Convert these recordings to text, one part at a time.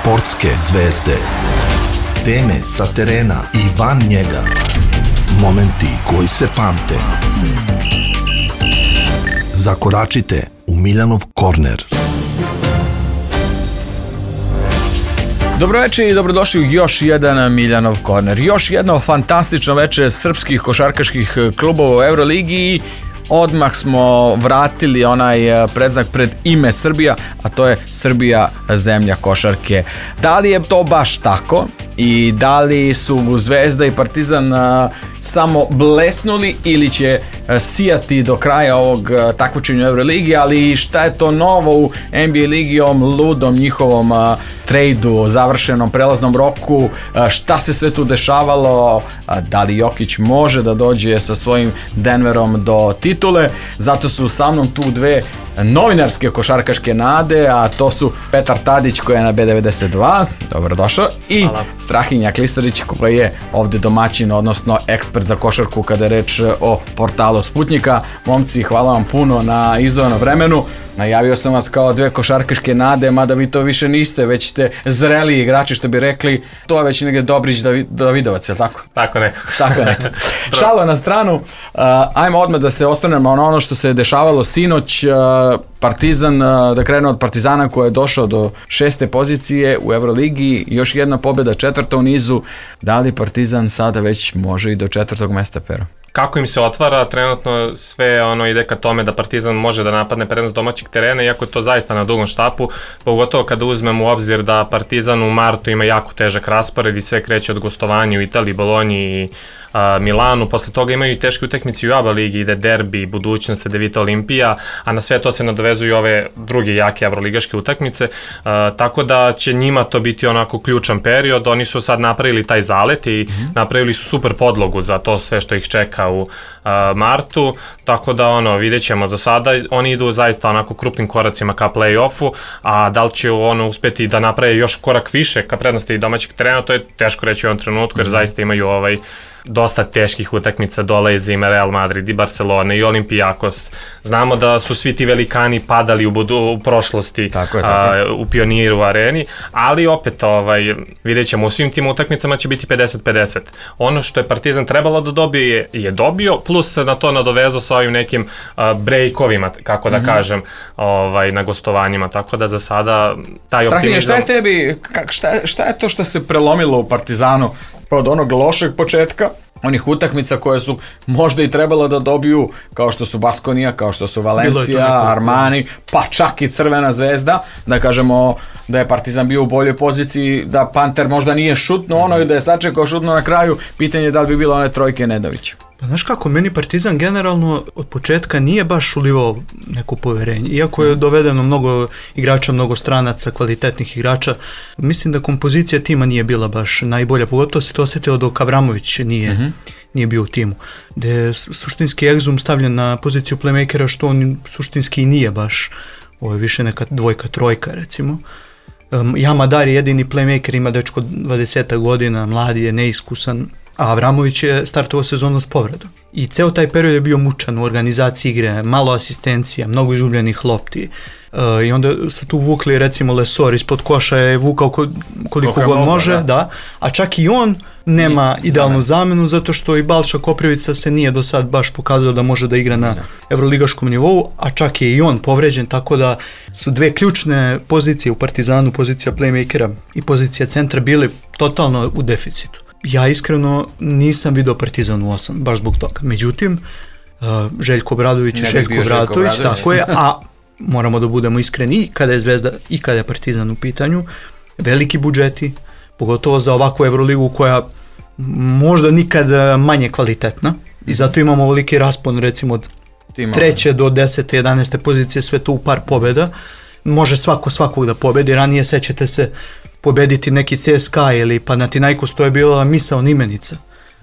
Sportske zvezde. Teme sa terena i van njega. Momenti koji se pamte. Zakoračite u Miljanov korner. Dobroveče i dobrodošli u još jedan Miljanov korner. Još jedno fantastično veče srpskih košarkaških klubova u Euroligi. Odmah smo vratili onaj predznak pred ime Srbija, a to je Srbija zemlja košarke. Da li je to baš tako i da li su Zvezda i Partizan samo blesnuli ili će sijati do kraja ovog takmičenja u Euroligi, ali šta je to novo u NBA ligi, ovom ludom njihovom trejdu, završenom prelaznom roku, šta se sve tu dešavalo, da li Jokić može da dođe sa svojim Denverom do titule. Zato su sa mnom tu dve novinarske košarkaške nade, a to su Petar Tadić koji je na B92, dobrodošao, i Strahinja Klistarić koji je ovde domaćin, odnosno ekspert za košarku kada je reč o portalu Sputnika. Momci, hvala vam puno na izdvojenom vremenu. Najavio sam vas kao dve košarkaške nade, mada vi to više niste, već ste zreli igrači, što bi rekli. To je već negdje Dobrić Davidovac, je li tako? Tako nekako. Tako nekako. Šalo na stranu, ajmo odmah da se osvrnemo na ono što se dešavalo sinoć. Partizan, da krenu od Partizana koji je došao do 6. pozicije u Euroligi, još jedna pobjeda, 4. u nizu. Da li Partizan sada već može i do 4. mesta, Pero? Kako im se otvara, trenutno sve ide ka tome da Partizan može da napadne prednost domaćeg terena, iako je to zaista na dugom štapu, pogotovo kada uzmemo u obzir da Partizan u martu ima jako težak raspored i sve kreće od gostovanja u Italiji, Bolonji i Milanu. Posle toga imaju i teške utakmice u ABA ligi, ide derbi, budućnost, Devita Olimpija, a na sve to se nadovezuju ove druge jake evroligaške utakmice, tako da će njima to biti onako ključan period. Oni su sad napravili taj zalet i napravili su super podlogu za to sve što ih čeka u martu, tako da vidjet ćemo. Za sada oni idu zaista onako krupnim koracima ka play-offu, a da li će uspeti da naprave još korak više ka prednosti domaćeg terena, to je teško reći u ovom trenutku, jer zaista imaju dosta teških utakmica, dolazi im Real Madrid i Barcelona i Olympiakos. Znamo da su svi ti velikani padali u prošlosti, tako je. U Pioniru areni, ali opet vidjet ćemo, u svim tim utakmicama će biti 50-50. Ono što je Partizan trebalo da dobije je dobio, plus se na to nadovezao sa ovim nekim breakovima, kako da kažem, na gostovanjima, tako da za sada taj optimizam... Strahinje, šta je tebi, šta je to što se prelomilo u Partizanu od onog lošeg početka, onih utakmica koje su možda i trebalo da dobiju, kao što su Baskonija, kao što su Valencija, Armani, pa čak i Crvena zvezda, da kažemo da je Partizan bio u boljoj poziciji, da Panter možda nije šutno ili da je sačekao šutno na kraju, pitanje je da li bi bilo one trojke Nedovića. Pa znaš kako, meni Partizan generalno od početka nije baš ulivao neko poverenje. Iako je dovedeno mnogo igrača, mnogo stranaca, kvalitetnih igrača, mislim da kompozicija tima nije bila baš najbolja. Pogotovo se to osjetilo dok Avramović nije bio u timu. Gde je suštinski Exum stavljen na poziciju playmakera, što on suštinski i nije baš. Ovo je više neka dvojka, trojka recimo. Jamadar je jedini playmaker, ima dečko 20 godina, mladi je, neiskusan, a Avramović je startovao sezonu s povredom. I ceo taj period je bio mučan u organizaciji igre, malo asistencija, mnogo izgubljenih lopti. I onda su tu vukli, recimo Lesor ispod koša je vukao koliko god može, da. A čak i on nema idealnu zamenu, zato što i Balša Koprivica se nije do sad baš pokazao da može da igra na evroligaškom nivou, a čak je i on povređen, tako da su dve ključne pozicije u Partizanu, pozicija playmakera i pozicija centra, bili totalno u deficitu. Ja iskreno nisam video Partizan u 8, baš zbog toga. Međutim, Željko Obradović i Željko Obratović, tako je, a moramo da budemo iskreni i kada je Zvezda i kada je Partizan u pitanju, veliki budžeti, pogotovo za ovakvu Evroligu koja možda nikad manje kvalitetna i zato imamo ovoliki raspon recimo od 3. do 10. 11. pozicije, sve to u par pobjeda. Može svakog da pobedi, ranije sećate se pobediti neki CSKA ili Panathinaikos, to je bila misaona imenica.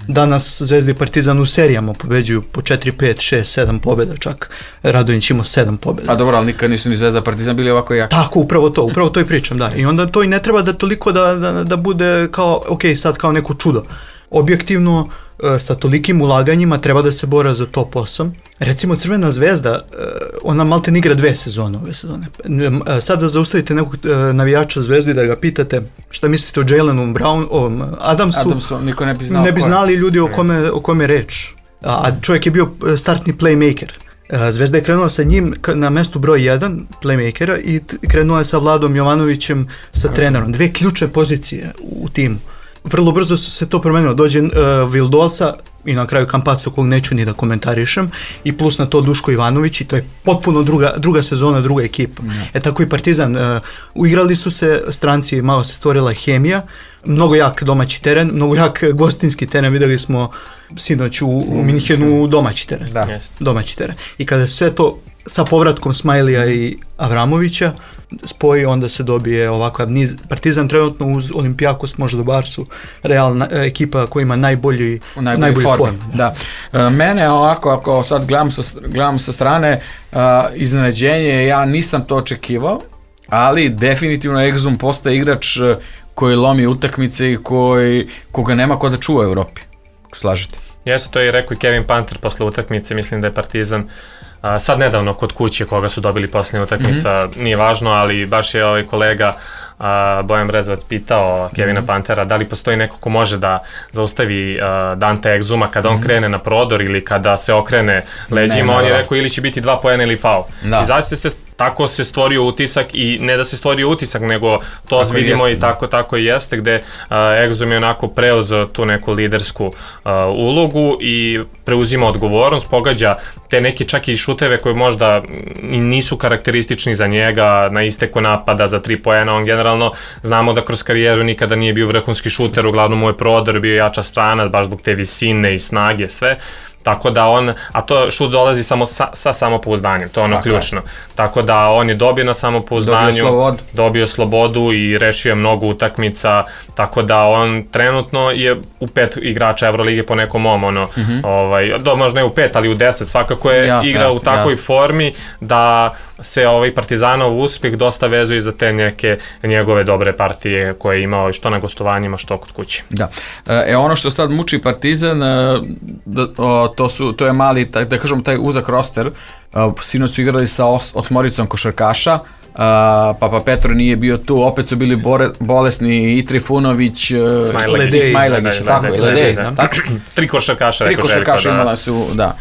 Danas Zvezda i Partizan u serijama pobeđuju po 4, 5, 6, 7 pobjeda, čak Radonjić imao 7 pobjeda. A dobro, ali nikad nisu ni Zvezda i Partizan bili ovako jaki. Tako, upravo to i pričam, da. I onda to i ne treba da toliko da bude kao, ok, sad kao neko čudo. objektivno sa tolikim ulaganjima treba da se bora za top 8. Recimo Crvena zvezda, ona malte ne igra 2 sezone ove sezone. Sad da zaustavite nekog navijača Zvezdi da ga pitate šta mislite o Jalenu Brownu, Adamsu, niko ne bi znao. Ne bi znali ljudi o kome je reč. A čovjek je bio startni playmaker. Zvezda je krenula sa njim na mestu broj 1 playmakera i krenula je sa Vladom Jovanovićem sa trenerom. 2 ključne pozicije u timu. Vrlo brzo se to promenilo. Dođe Vildosa i na kraju Campazzo, kog neću ni da komentarišem, i plus na to Duško Ivanović, i to je potpuno druga sezona, druga ekipa. Tako i Partizan. Uigrali su se stranci, malo se stvorila hemija, mnogo jak domaći teren, mnogo jak gostinski teren, videli smo sinoć u Minhenu domaći teren. Domaći teren. I kada sve to sa povratkom Smajlija i Avramovića spoji, onda se dobije ovakav niz. Partizan trenutno uz Olimpijakos, možda Barsu, realna ekipa koja ima najbolji form. Da. Mene ovako, ako sad gledam sa strane, iznenađenje, ja nisam to očekivao, ali definitivno Exum postaje igrač koji lomi utakmice i koga nema ko da čuva u Evropi. Slažete? Jeste, to je rekao i Kevin Panter posle utakmice, mislim da je Partizan sad nedavno kod kuće koga su dobili posljednja utakmica, nije važno, ali baš je ovaj kolega Bojan Brezovac pitao Kevina Pantera da li postoji neko ko može da zaustavi Dante Exuma kada on krene na prodor ili kada se okrene leđima, on je rekao ili će biti 2 poena ili faul. I zaista tako se stvorio utisak, i ne da se stvorio utisak, nego to tako vidimo jeste, i tako i jeste, gde Exum je onako preuzeo tu neku lidersku ulogu i preuzima odgovornost, pogađa te neke čak i šuteve koje možda nisu karakteristični za njega, na isteku napada za 3 poena, on generalno znamo da kroz karijeru nikada nije bio vrhunski šuter, uglavnom mu je prodor bio jača strana, baš zbog te visine i snage, sve. Tako da a to šut dolazi samo sa samopouzdanjem, to je ono ključno. Tako da on je dobio na samopouzdanju, dobio slobodu i rešio mnogo utakmica, tako da on trenutno je u 5 igrača Evrolige po nekom možda ne u 5, ali u 10, svakako je igrao u takvoj formi da se Partizanov uspjeh dosta vezuje za te neke njegove dobre partije koje je imao što na gostovanjima, što kod kuće. Da. Ono što sad muči Partizan, to je mali, da kažem, taj uzak roster. Sinoć su igrali sa 8 košarkaša, Papa Petro nije bio tu, opet su bili bolesni i Trifunović i Smajlagić, tako je, Ledej. 3 košarkaša, rekao Željko. 3 košarkaša imala su, da.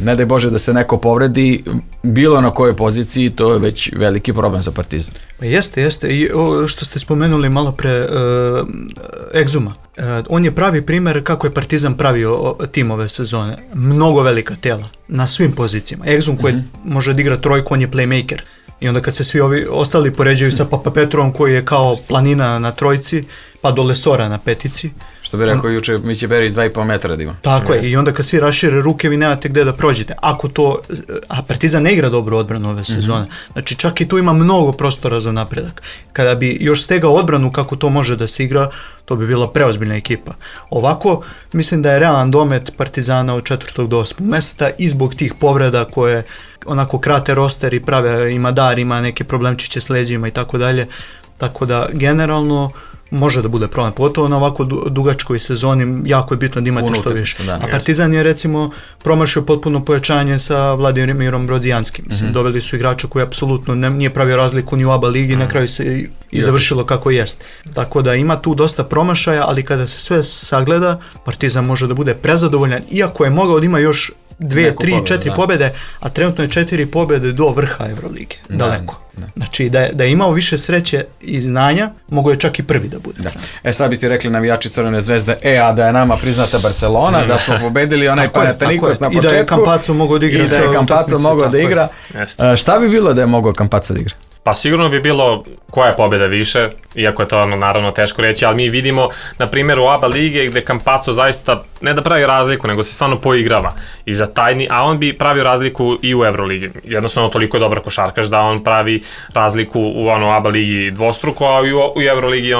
Ne daj Bože da se neko povredi, bilo na kojoj poziciji, to je već veliki problem za Partizan. Jeste. I što ste spomenuli malo pre Exuma, on je pravi primjer kako je Partizan pravio tim ove sezone. Mnogo velika tela na svim pozicijama. Exum koji može da igra trojku, on je playmaker. I onda kad se svi ovi ostali poređaju sa Papa Petrovom koji je kao planina na trojci, pa do Lesora na petici. Što bi rekao juče, Miće Berić 2,5 metra da ima. Tako je, i onda kad svi rašire ruke, vi nemate gde da prođete. A Partizan ne igra dobro odbranu ove sezone. Znači čak i tu ima mnogo prostora za napredak. Kada bi još stegao odbranu kako to može da se igra, to bi bila preozbiljna ekipa. Ovako, mislim da je realan domet Partizana od 4. do 8. mesta i zbog tih povreda koje onako krate roster i prave, ima dar, ima neke problemčiće s leđima i tako dalje. Tako da generalno može da bude problem, pogotovo na ovako dugačkoj sezoni, jako je bitno da imate što više. A Partizan je recimo promašio potpuno pojačanje sa Vladimirom Brodzijanskim. Mislim, doveli su igrača koji apsolutno nije pravio razliku ni u ABA ligi, na kraju se i završilo kako jest. Tako da ima tu dosta promašaja, ali kada se sve sagleda, Partizan može da bude prezadovoljan, iako je mogao da ima još 2, 3, 4 pobjede, a trenutno je 4 pobjede do vrha Evrolige, daleko. Znači da je imao više sreće i znanja, mogo je čak i prvi da bude. Sad bi ti rekli navijači Crvene zvezde, a da je nama priznata Barcelona, da smo pobedili onaj Panathinaikos na početku. I da je Campazzo mogao da igra. Šta bi bilo da je mogao Campazzo da igra? Pa sigurno bi bilo koja je pobjeda više, iako je to naravno teško reći, ali mi vidimo na primjer u ABA lige gde Campazzo zaista ne da pravi razliku, nego se stvarno poigrava i za tajni, a on bi pravio razliku i u Euroligi. Jednostavno toliko je dobar košarkaš da on pravi razliku u ABA ligi dvostruko, a u Euroligi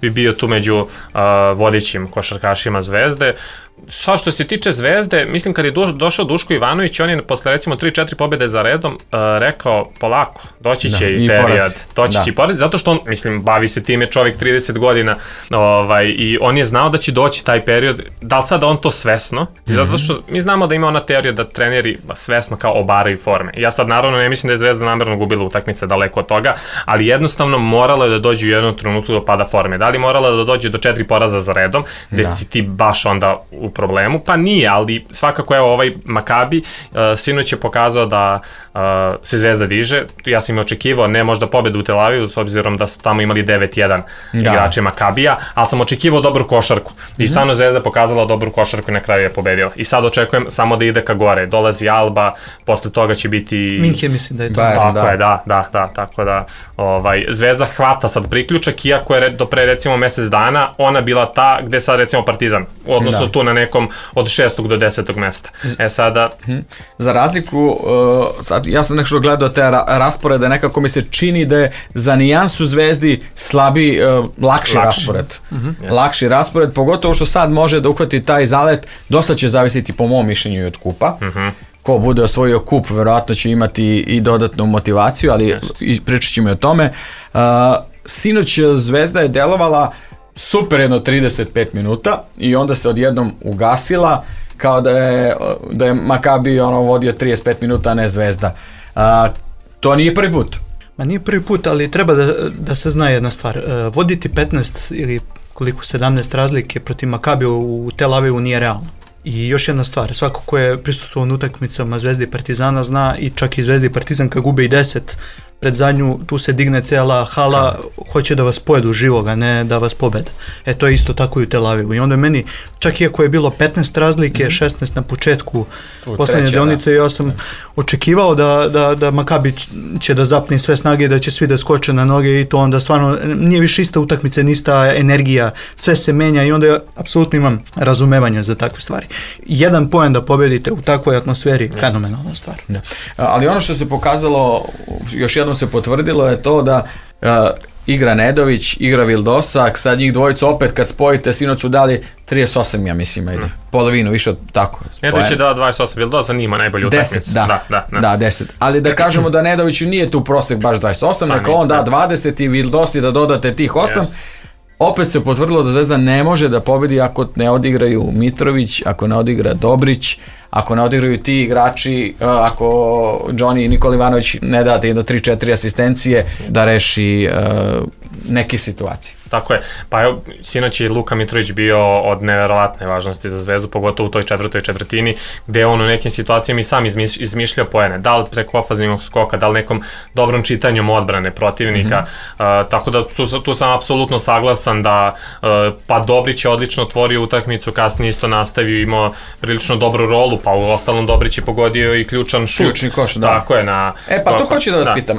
bi bio tu među vodećim košarkašima Zvezde. Sad što se tiče Zvezde, mislim kad je došao Duško Ivanović, on je posle recimo 3-4 pobjede za redom rekao polako, doći će i period, doći će i poraz, zato što on, mislim, bavi se time čovjek 30 godina i on je znao da će doći taj period, da li sada on to svesno, zato što mi znamo da ima ona teorija da treneri svesno kao obaraju forme. Ja sad naravno ne mislim da je Zvezda namerno gubila utakmice, daleko od toga, ali jednostavno moralo je da dođe u jednom trenutku do pada forme. Da li moralo da dođe do 4 poraza za redom, gde si ti baš onda u problemu? Pa nije, ali svakako evo ovaj Makabi sinoć je pokazao da se Zvezda diže. Ja sam im očekivao ne možda pobedu u Tel Avivu s obzirom da su tamo imali 9-1 igrače Makabija, ali sam očekivao dobru košarku. I stvarno Zvezda pokazala dobru košarku i na kraju je pobedila. I sad očekujem samo da ide ka gore. Dolazi Alba, posle toga će biti Minhen, mislim da je to. Tako je, tako da Zvezda hvata sad priključak, iako je do pre recimo mesec dana ona bila ta gde sad recimo Partizan, odnosno tu na nekom od 6. do 10. mesta. Sada... Za razliku, sad, ja sam nekako gledao te rasporede, nekako mi se čini da je za nijansu Zvezdi slabi, lakši raspored. Lakši raspored, pogotovo što sad može da uhvati taj zalet, dosta će zavisiti po mom mišljenju i od kupa. Ko bude osvojio kup, verovatno će imati i dodatnu motivaciju, ali pričat ćemo i o tome. Sinoć Zvezda je delovala super jedno 35 minuta i onda se odjednom ugasila kao da je Makabi vodio 35 minuta, a ne Zvezda. To nije prvi put. Ma nije prvi put, ali treba da se zna jedna stvar. Voditi 15 ili koliko 17 razlike protiv Makabija u Tel Avivu nije realno. I još jedna stvar, svako ko je prisustvovao na utakmicama Zvezde i Partizana zna, i čak i Zvezda i Partizan kad gube i 10 pred zadnju, tu se digne cijela hala, hoće da vas pojedu živoga, ne da vas pobede. To je isto tako i u Tel Avivu. I onda meni, čak iako je bilo 15 razlike, 16 na početku poslednje deonice, ja sam očekivao da Makabi će da zapne sve snage, da će svi da skoče na noge i to onda stvarno nije više ista utakmica, ni ista energija, sve se menja i onda ja apsolutno imam razumevanja za takve stvari. Jedan poen da pobedite u takvoj atmosferi, fenomenalna stvar. Ali ono što se pokazalo, još jednom se potvrdilo je to da igra Nedović, igra Vildosak, sad njih dvojicu opet kad spojite, sinoć su dali 38, ja mislim, polovinu, više od tako. Nedović je dao 28, Vildosak nima najbolju utakmicu. 10, da, 10. Ali da kažemo da Nedoviću nije tu prosek baš 28, neka on da 20 i Vildosi da dodate tih 8. Opet se potvrdilo da Zvezda ne može da pobedi ako ne odigraju Mitrović, ako ne odigra Dobrić, ako ne odigraju ti igrači, ako Johnny i Nikola Ivanović ne date jedno 3-4 asistencije da reši neke situacije. Tako je, pa evo, sinoć je Luka Mitrović bio od neverovatne važnosti za Zvezdu, pogotovo u toj četvrtoj četvrtini, gde on u nekim situacijama i sam izmišljao poene, da li preko ofanzivnog skoka, da li nekom dobrom čitanjem odbrane protivnika, tako da tu sam apsolutno saglasan da pa Dobrić je odlično otvorio utakmicu, kasnije isto nastavio, imao prilično dobru rolu, pa u ostalom Dobrić je pogodio i ključan šut. Ključni koš, da. Tako je, pa to hoću da vas pitam,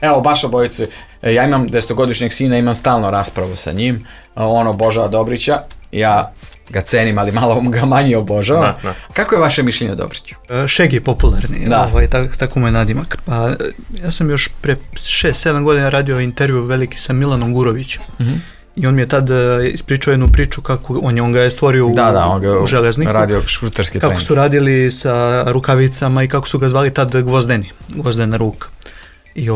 evo baš obojice, ja imam 10-godišnjeg sina, imam stalno raspravu sa njim, on obožava Dobrića, ja ga cenim, ali malo ga manje obožavam. Kako je vaše mišljenje o Dobriću? Šeg je popularni, tako mu je nadimak. Pa, ja sam još pre 6-7 godina radio intervju veliki sa Milanom Gurovićem. I on mi je tad ispričao jednu priču kako on ga je stvorio u Železniku. Radio šuterski trening. Kako su radili sa rukavicama i kako su ga zvali tad Gvozdena ruka. I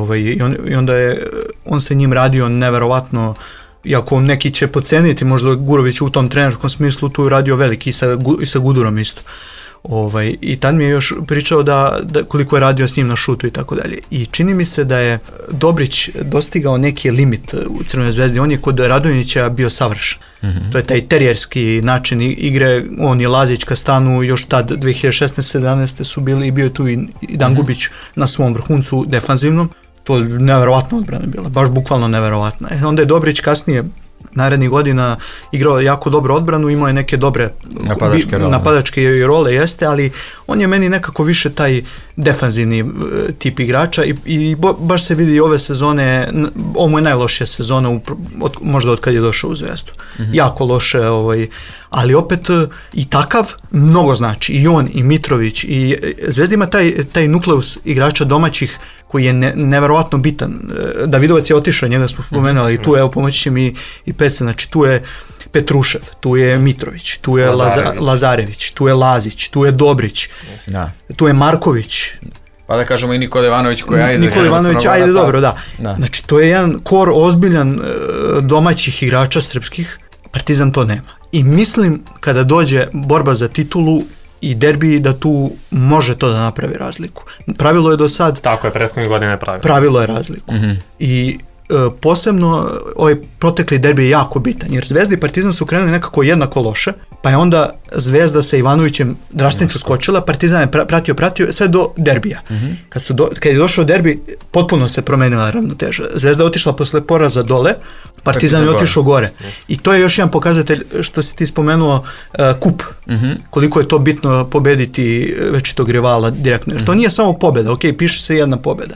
onda je on se njim radio neverovatno, iako neki će poceniti možda Gurović u tom trenerskom smislu, tu je radio veliki i sa Gudurom isto. I tad mi je još pričao da koliko je radio s njim na šutu i tako dalje. I čini mi se da je Dobrić dostigao neki limit u Crvenoj Zvezdi. On je kod Radonjića bio savršen. To je taj terijerski način igre. On i Lazić kad stanu, još tad 2016-17 su bili i bio je tu i Dan Gubić na svom vrhuncu defanzivnom. To je neverovatna odbrana bila, baš bukvalno neverovatna. Onda je Dobrić narednih godina igrao jako dobro odbranu, imao je neke dobre napadačke role, jeste, ali on je meni nekako više taj defanzivni tip igrača i baš se vidi ove sezone, ovo mu je najlošija sezona možda od kad je došao u Zvezdu. Jako loše, ali opet i takav mnogo znači, i on, i Mitrović, i Zvezda ima taj nukleus igrača domaćih koji je neverovatno bitan. Davidovac je otišao, njega smo spomenuli, i tu evo pomoći će mi i Peca, znači tu je Petrušev, tu je Mitrović, tu je Lazarević, tu je Lazić, tu je Dobrić, tu je Marković. Pa da kažemo i Nikola Ivanović koji ajde. Nikola Ivanović, ajde dobro, da. Znači to je jedan kor ozbiljan domaćih igrača srpskih, Partizan to nema. I mislim kada dođe borba za titulu i derbi da tu može to da napravi razliku. Pravilo je do sad... Tako je, prethodnih godina je pravilo. Pravilo je razliku. I posebno ovaj protekli derbi je jako bitan, jer Zvezda i Partizan su krenuli nekako jednako loše, pa je onda Zvezda sa Ivanovićem drastično skočila, Partizan je pratio sve do derbija. Kad je došao derbi, potpuno se promenila ravnoteža. Zvezda je otišla posle poraza dole, Partizan je otišao gore. I to je još jedan pokazatelj što si ti spomenuo kup. Koliko je to bitno pobediti večitog rivala direktno. Jer to nije samo pobjeda, ok, piše se jedna pobjeda,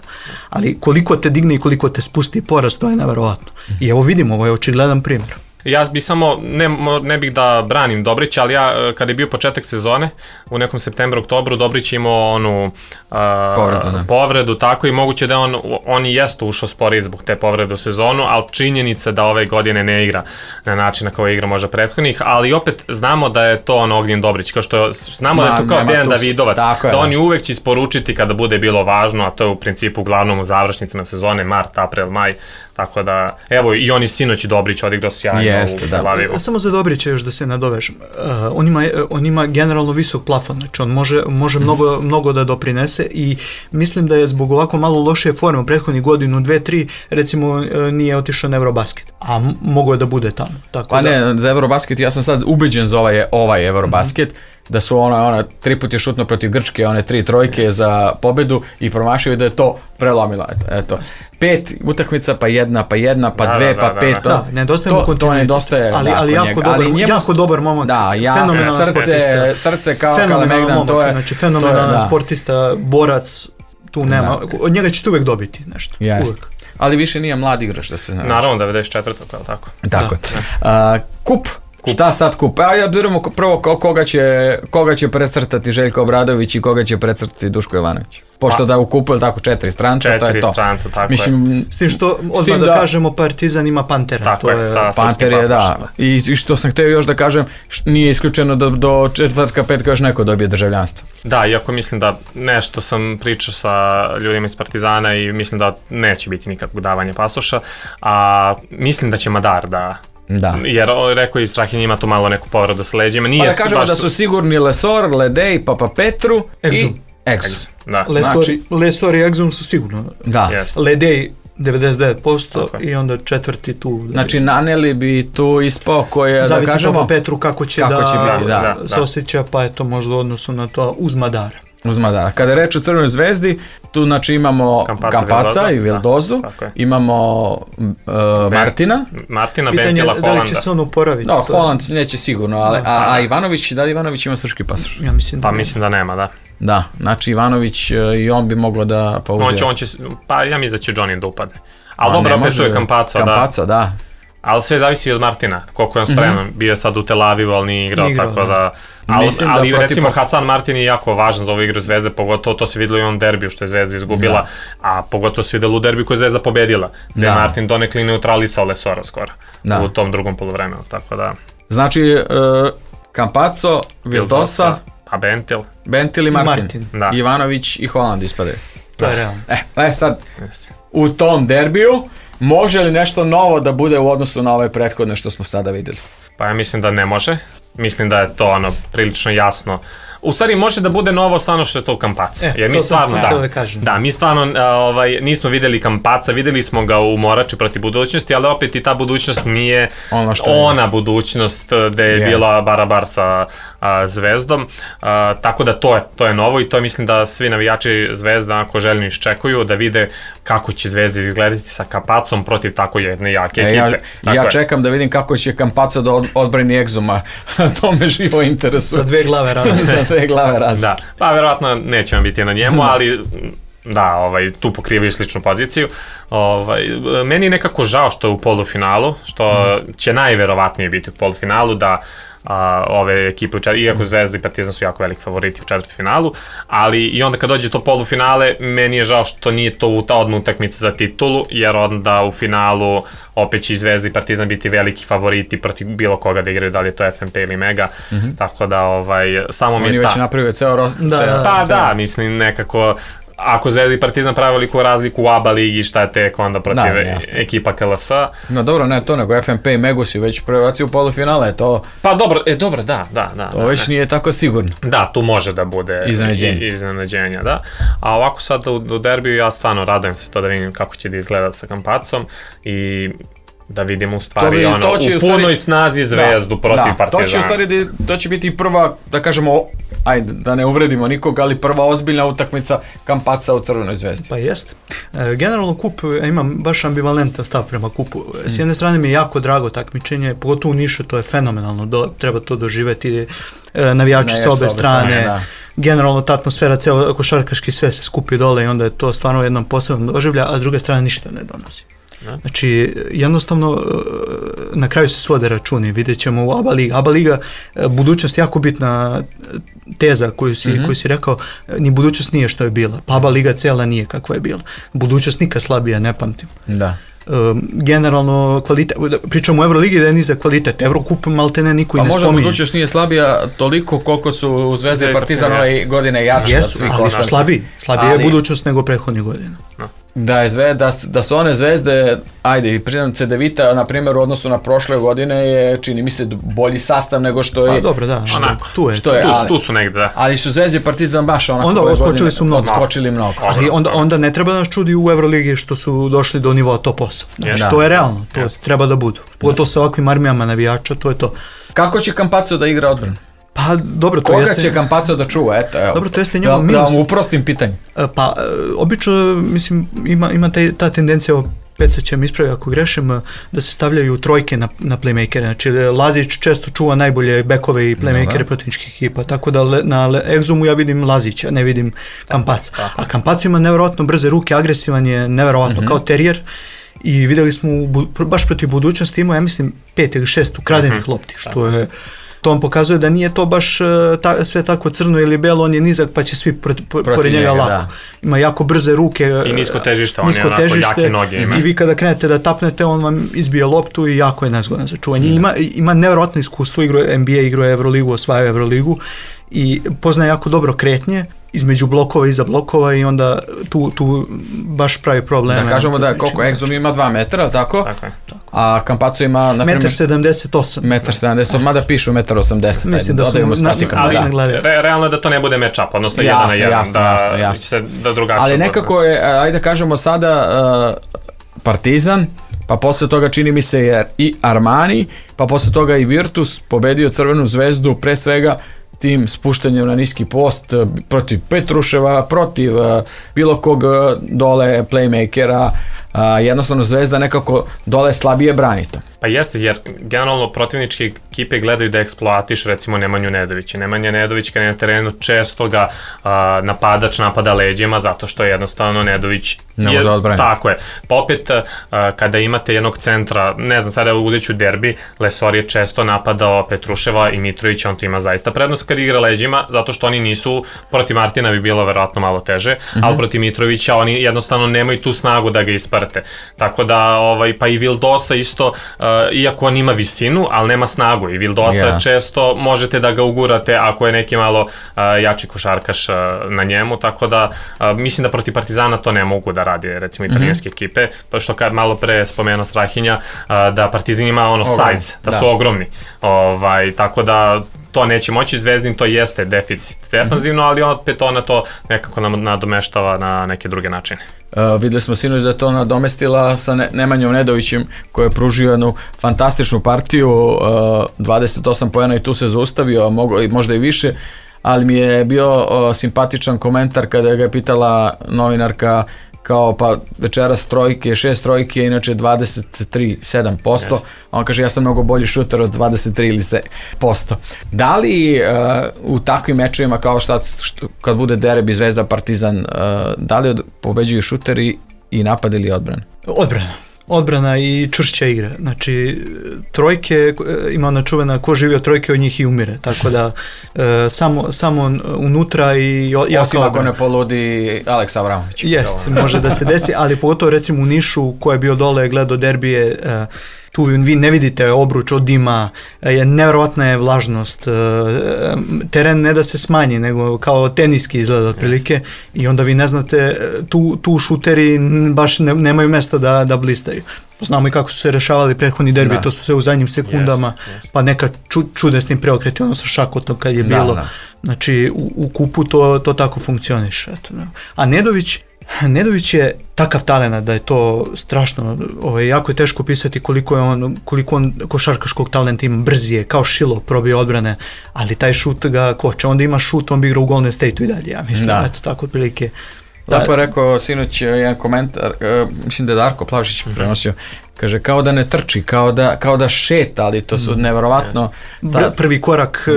ali koliko te digne i koliko te spusti poraz, to je neverovatno. I evo vidimo, ovo je očigledan primjer. Ja bi samo, ne bih da branim Dobrića, ali ja kada je bio početak sezone, u nekom septembru, oktobru, Dobrić imao onu povredu, tako, i moguće da on i jeste ušao sporiji zbog te povrede u sezonu, ali činjenica da ove godine ne igra na način na koji igra možda prethodnih, ali opet znamo da je to Ognjen Dobrić, kao što znamo da je to kao Dejan Davidovac, da oni uvek će isporučiti kada bude bilo važno, a to je u principu uglavnom u završnicama sezone, mart, april, maj, tako da, evo, i oni sinoć Dobrić odigrao sjajno u Tel Avivu. Samo za Dobrića još da se nadovežem. On ima generalno visok plafon, znači on može mnogo da doprinese i mislim da je zbog ovako malo lošije forme u prethodnih godinu, 2-3, recimo nije otišao na Eurobasket, a mogo je da bude tamo. Pa ne, za Eurobasket, ja sam sad ubeđen za ovaj Eurobasket, da su ona 3 puta je šutno protiv Grčke, one 3 trojke za pobedu i promašio da je to prelomilo. Eto. 5 utakmica, pa jedna, pa 2, pa 5. Da, nedostaje mu kontinuitet. To nedostaje. Ali jako dobar momak. Da, srce kao Kalemegdan. Znači fenomenalan sportista, borac, tu nema. Od njega ćete uvek dobiti nešto. Uvek. Ali više nije mlad igrač da se... Naravno, 94. je tako? Tako. Kup. Šta sad kup? Ja biramo prvo koga će precrtati Željko Obradović i koga će precrtati Duško Jovanović. Pošto da u kupu je tako 4 stranca, to je to. 4 stranca, tako je. S tim što odmah da kažemo Partizan ima Pantera. Tako je, sa Panter je, da. I što sam htio još da kažem, nije isključeno da do četvrtka, petka još neko dobije državljanstvo. Da, iako mislim da nešto sam pričao sa ljudima iz Partizana i mislim da neće biti nikakvog davanja pasoša, a mislim da će Madar da... Jer rekao i Strahinja ima tu malo neku povredu s leđima. Pa da kažemo da su sigurni Lesor, Ledej, Papa Petru i Exum. Lesor i Exum su sigurno. Ledej 99% i onda četvrti tu. Znači naneli bi tu ispao koje, da kažemo... Zavisi Papa Petru kako će biti, se osjeća, pa je to možda u odnosu na to uz Madara. Kada je reč o Crvenoj zvezdi, tu znači imamo Campazza i Vildozu, imamo Martina, Bentila, Holanda. Da li će se on oporaviti? Da, Holand neće sigurno, a Ivanović, da li Ivanović ima srpski pasoš? Ja mislim da mislim da nema, da. Da, znači Ivanović i on bi moglo da pauzira. Pa ja mislim da će Johnny da upadne. Ali dobro, opet tu je Campazza, da. Ali sve zavisi od Martina, koliko je on spreman. Bio je sad u Tel Avivu, ali nije igrao, tako da... Ali recimo Hasan Martin je jako važan za ovu igru Zvezde, pogotovo to se videlo i on derbiju što je Zvezda izgubila, a pogotovo se videlo u derbiju koju je Zvezda pobedila, gde je Martin donekli neutralisao Lesora skoro u tom drugom poluvremenu, tako da... Znači, Campazzo, Vildosa, a Bentil i Martin. Ivanović i Holland ispadaju. To je realno. Sad, u tom derbiju, može li nešto novo da bude u odnosu na ove prethodne što smo sada vidjeli? Pa ja mislim da ne može. Mislim da je to prilično jasno. U stvari može da bude novo samo što je to Campazzo. Jer mi stvarno, mi stvarno nismo vidjeli Campazza, vidjeli smo ga u Morači protiv budućnosti, ali opet i ta budućnost nije ona budućnost gde je bila barabar sa Zvezdom. Tako da to je novo i to mislim da svi navijači Zvezda ako željno iščekuju da vide kako će Zvezda izgledati sa Campazzom protiv tako jedne jake ekipe. Ja čekam da vidim kako će Campazzo da odbrani Exuma. To me živo interesuje. Sa 2 glave razlike. Da, pa verovatno neće vam biti na njemu, ali Da, tu pokrivaju sličnu poziciju. Meni je nekako žao što je u polufinalu, što će najverovatnije biti u polufinalu, da ove ekipe, iako Zvezda i Partizan su jako veliki favoriti u četvrtfinalu, ali i onda kad dođe to polufinale, meni je žao što nije to ta odmah utakmica za titulu, jer onda u finalu opet će i Zvezda i Partizan biti veliki favoriti protiv bilo koga da igraju, da li je to FNP ili Mega, tako da samo mi je Oni već napravio ceo Da, mislim nekako. Ako Zvezda i Partizan pravi veliku razliku u ABA ligi, šta je tek onda protiv ekipa KLS? No dobro, ne to, nego FNP i Megu si već prebacio u polufinale, to... Pa dobro, da. To već nije tako sigurno. Da, tu može da bude iznenađenja, da. A ovako sad u derbiju ja stvarno radujem se to da vidim kako će da izgleda sa Kampacom i da vidimo u stvari u punoj snazi Zvezdu protiv Partizana. To će biti prva, da kažemo, ajde, da ne uvredimo nikog, ali prva ozbiljna utakmica Kampaca u Crvenoj Zvezdi. Pa jeste. Generalno kup, imam baš ambivalentan stav prema kupu. S jedne strane mi je jako drago takmičenje, pogotovo u Nišu, to je fenomenalno, treba to doživeti, navijači sa obe strane, generalno ta atmosfera, ceo košarkaški sve se skupi dole i onda je to stvarno jednom posebnom doživlja, a s druge strane ništa ne donosi. Znači, jednostavno, na kraju se svode računi, vidjet ćemo u ABA Liga. ABA Liga, budućnost jako bitna teza koju si rekao, ni budućnost nije što je bila, pa ABA Liga cijela nije kakva je bila. Budućnost nikad slabija, ne pamtim. Da. Generalno kvalitet, pričamo o Euroligi da je nizak kvalitet, Eurokup maltene niko i ne spominje. Pa možda budućnost nije slabija toliko koliko su u Zvezdi i Partizan ove godine jači od svih ali su slabiji je budućnost nego prethodnih godina. Da su one Zvezde, ajde, priznam Cedevita, na primjer, u odnosu na prošle godine je, čini mi se, bolji sastav nego što je... Pa dobro, da, tu su negde, da. Ali su Zvezde i Partizan baš onako onda odskočili mnogo. Ali onda ne treba nas čudi u Euroligi što su došli do nivoa top 8. Znači, to je realno, to treba da budu. Pogotovo sa ovakvim armijama navijača, to je to. Kako će Campazzo da igra odbranu? Pa dobro, to jeste... Koga će Campazzo da čuva, eto, evo. Dobro, to jeste njegov minus. Da vam uprostim pitanje. Pa, obično, mislim, ima ta tendencija, Peca će mi ispravi ako grešim, da se stavljaju trojke na playmakere. Znači, Lazić često čuva najbolje bekove i playmakere protivničkih ekipa, tako da na Exumu ja vidim Lazića, ne vidim Campazza. A Campazzo ima nevjerovatno brze ruke, agresivan je nevjerovatno kao terijer. I vidjeli smo baš protiv budućnosti imao, ja mislim, 5 ili 6 ukradenih lopti, što je... To vam pokazuje da nije to baš sve tako crno ili belo, on je nizak pa će svi pored njega lako. Da. Ima jako brze ruke. I nisko težište, on je onako jake noge ima. I vi kada krenete da tapnete, on vam izbije loptu i jako je nezgodan za čuvanje. Ima nevjerojatno iskustvo, igruje NBA, igruje Euroligu, osvaja Euroligu i poznaje jako dobro kretnje između blokova i iza blokova i onda tu baš pravi probleme. Da kažemo da koliko Exum ima 2 metra, tako? Tako je. A Campazzo ima, na primjer... 1,78 m. 1,78 m, mada pišu 1,80 m. Mislim da su realno je da to ne bude match-up, odnosno 1 na 1, da se da drugačije. Ali nekako je, ajde da kažemo sada, Partizan, pa posle toga čini mi se i Armani, pa posle toga i Virtus pobedio Crvenu Zvezdu, pre svega tim spuštanjem na niski post protiv Petruševa, protiv bilo kog dole playmakera, jednostavno Zvezda nekako dole slabije brani to. Pa jeste, jer generalno protivničke ekipe gledaju da eksploatiš recimo Nemanju Nedovića. Nemanja Nedović kada je na terenu često ga napadač napada leđima zato što jednostavno Nedović ne može odbraniti. Tako je. Pa opet kada imate jednog centra, ne znam, sada uzet ću derbi, Lesor je često napadao Petruševa i Mitrovića, on tu ima zaista prednost kad igra leđima, zato što oni nisu, protiv Martina bi bilo verovatno malo teže, ali protiv Mitrovića oni jednostavno nemaju tu snagu da ga isprate. Tako da, pa i Vildosa isto, iako on ima visinu, ali nema snagu i Vildosa često možete da ga ugurate ako je neki malo jači košarkaš na njemu, tako da mislim da protiv Partizana to ne mogu da radi recimo italijanske ekipe, pa što kad malo pre spomenuo Strahinja, da Partizan ima size, da su ogromni, tako da to neće moći, Zvezdin to jeste deficit defanzivno, ali opet ona to nekako nadomeštava na neke druge načine. Videli smo sinoć da je to nadomestila sa Nemanjom Nedovićem koji je pružio jednu fantastičnu partiju, 28 poena i tu se zaustavio, možda i više, ali mi je bio simpatičan komentar kada ga je pitala novinarka kao pa večeras trojke, 6 trojke, inače 23,7%. On kaže ja sam mnogo bolji šuter od 23 ili 7%. Da li u takvim mečevima kao kad bude derbi Zvezda Partizan, da li pobeđuju šuteri i napad ili odbrana? Odbrana i čvršća igra. Znači, trojke, ima ona čuvena ko živi od trojke, od njih i umire. Tako da, samo unutra i jako osim ako ne poludi Aleksa Avramović. Jest, može da se desi, ali pogotovo recimo u Nišu, ko je bio dole, gledao derbije, tu vi ne vidite obruč od dima, nevjerovatna je vlažnost, teren ne da se smanji, nego kao teniski izgleda otprilike i onda vi ne znate, tu šuteri baš nemaju mesta da blistaju. Znamo i kako su se rešavali prethodni derbi, to su sve u zadnjim sekundama, pa neka čudesnim preokreti, ono sa Šakotom kad je bilo. Znači, u kupu to tako funkcioniše. A Nedović je takav talent da je to strašno, jako je teško pisati koliko on košarkaškog talenta ima, brzi je, kao šilo probije odbrane, ali taj šut ga koče, onda ima šut, on bi igrao u Golden State-u i dalje, ja mislim, eto tako otprilike. Lepo je rekao sinoć jedan komentar, mislim da je Darko Plavšić prenosio, kaže kao da ne trči, kao da šeta, ali to su nevjerovatno. Prvi korak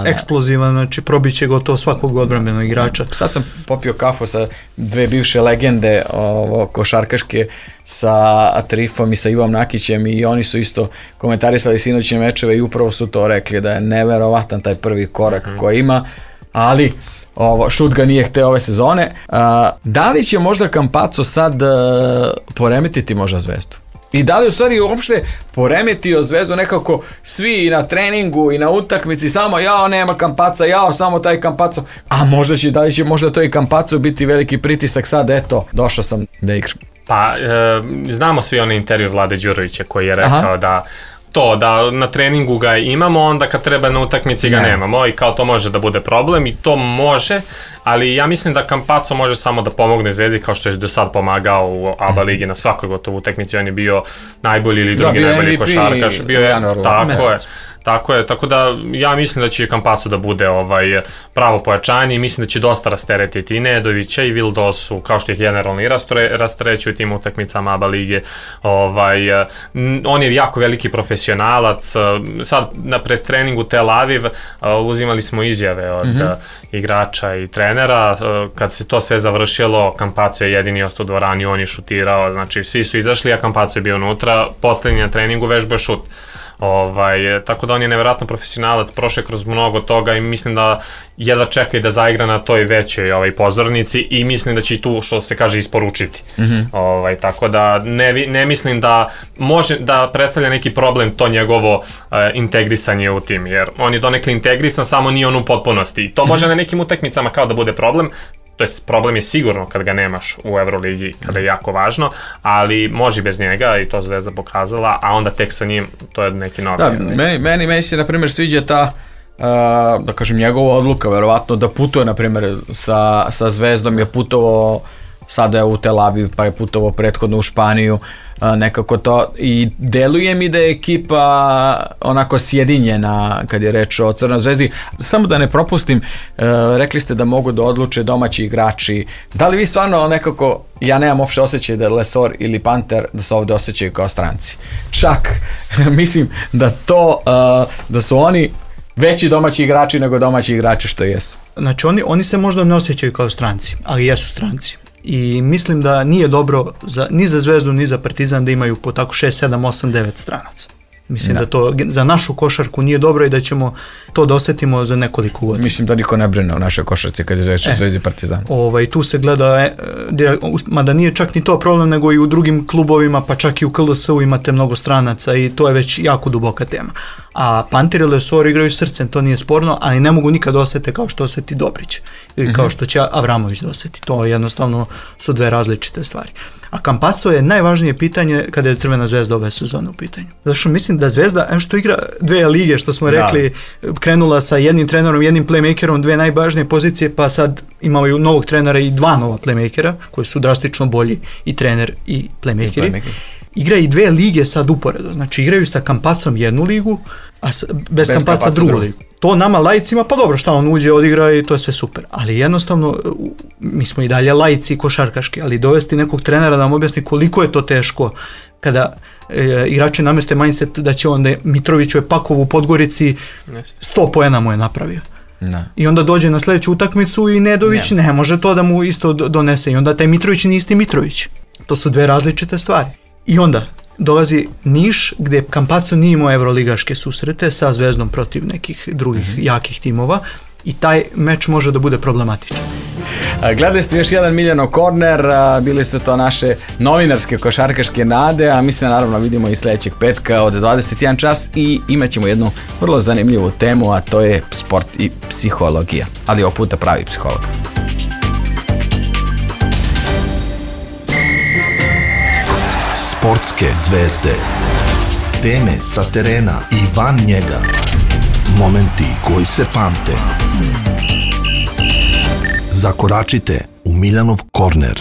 eksplozivan, znači probiće gotovo svakog odbrambenog igrača. Sad sam popio kafu sa dve bivše legende košarkaške, sa Atrifom i sa Ivom Nakićem i oni su isto komentarisali sinoćne mečeve i upravo su to rekli da je nevjerovatan taj prvi korak koji ima, ali šut ga nije hteo ove sezone. Da li će možda Campazzo sad poremetiti možda Zvezdu? I da li u stvari uopšte poremetio Zvezdu nekako svi na treningu i na utakmici, samo nema Campazza, samo taj Campazzo, a da li će možda to i Campazzo biti veliki pritisak sad, eto, došao sam da igram. Pa, znamo svi onaj intervju Vlade Đurovića koji je rekao da na treningu ga imamo, onda kad treba na utakmici ga nemamo i kao to može da bude problem i to može, ali ja mislim da Campazzo može samo da pomogne Zvezdi kao što je do sad pomagao u ABA ligi na svakoj gotovo utakmici, on je bio najbolji ili drugi najbolji košarkaš, bio je, tako da ja mislim da će Campazzo da bude pravo pojačanje i mislim da će dosta rasteretiti i Nedovića i Vildosu, kao što ih generalno i rasterećuju tim utakmicama ABA lige. On je jako veliki profesionalac. Sad na predtreningu Tel Aviv uzimali smo izjave od igrača i trenera. Kad se to sve završilo, Campazzo je jedini ostao u dvorani, on je šutirao, znači svi su izašli, a Campazzo je bio unutra, poslednji na treningu vežbao šut. Tako da on je nevjerojatno profesionalac, prošao je kroz mnogo toga i mislim da jedva čeka i da zaigra na toj većoj pozornici i mislim da će i tu, što se kaže, isporučiti. Tako da ne mislim da može da predstavlja neki problem to njegovo integrisanje u tim, jer on je donekle integrisan, samo nije on u potpunosti i to može na nekim utakmicama kao da bude problem. To je problem je sigurno kad ga nemaš u Euroligi, kada je jako važno, ali može bez njega i to Zvezda pokazala, a onda tek sa njim to je neki novi. Da, meni se na primjer sviđa ta da kažem njegova odluka, verovatno da putuje na primjer sa Zvezdom, je putovao sada je u Tel Aviv, pa je putovao prethodno u Španiju, nekako to i deluje mi da je ekipa onako sjedinjena kad je reč o Crnoj Zvezdi. Samo da ne propustim, rekli ste da mogu da odluče domaći igrači. Da li vi stvarno nekako, ja nemam uopšte osjećaj da Lesor ili Panter da se ovde osjećaju kao stranci. Čak mislim da su oni veći domaći igrači nego domaći igrači što jesu. Znači oni se možda ne osjećaju kao stranci, ali jesu stranci. I mislim da nije dobro ni za Zvezdu ni za Partizan da imaju po tako 6, 7, 8, 9 stranaca. Mislim da to za našu košarku nije dobro i da ćemo to da osjetimo za nekoliko godina. Mislim da niko ne brine u našoj košarci kad je reč o Zvezdi i Partizanu. Tu se gleda, mada nije čak ni to problem, nego i u drugim klubovima, pa čak i u KLS-u imate mnogo stranaca i to je već jako duboka tema. A Panter i Lesor igraju srcem, to nije sporno, ali ne mogu nikad osjeti kao što osjeti Dobrić ili kao što će Avramović da osjeti. To jednostavno su dve različite stvari. A Campazzo je najvažnije pitanje kada je Crvena Zvezda ove sezone u pitanju. Zato što mislim da Zvezda, što igra dve lige, što smo rekli, krenula sa jednim trenerom, jednim playmakerom, dve najvažnije pozicije, pa sad imaju novog trenera i dva nova playmakera, koji su drastično bolji, i trener i playmakeri. igra i 2 lige sad uporedo. Znači igraju sa Kampacom jednu ligu, a bez Kampaca drugu ligu. To nama laicima, pa dobro, šta on uđe, odigra i to je sve super. Ali jednostavno, mi smo i dalje laici košarkaški, ali dovesti nekog trenera da nam objasni koliko je to teško kada igrači nameste mindset da će onda Mitrović u Epakovu u Podgorici 100 poena mu je napravio. Da. I onda dođe na sljedeću utakmicu i Nedović ne može to da mu isto donese. I onda taj Mitrović nije isti Mitrović. To su 2 različite stvari. I onda dolazi Niš gdje Campazzo nije imao evroligaške susrete sa Zvezdom protiv nekih drugih jakih timova i taj meč može da bude problematičan. Gledali ste još jedan Miljanov korner, bili su to naše novinarske košarkaške nade, a mi se naravno vidimo i sljedećeg petka od 21 čas i imat ćemo jednu vrlo zanimljivu temu, a to je sport i psihologija, ali ovog puta pravi psiholog. Sportske zvezde, teme sa terena i van njega, momenti koji se pamte. Zakoračite u Miljanov korner.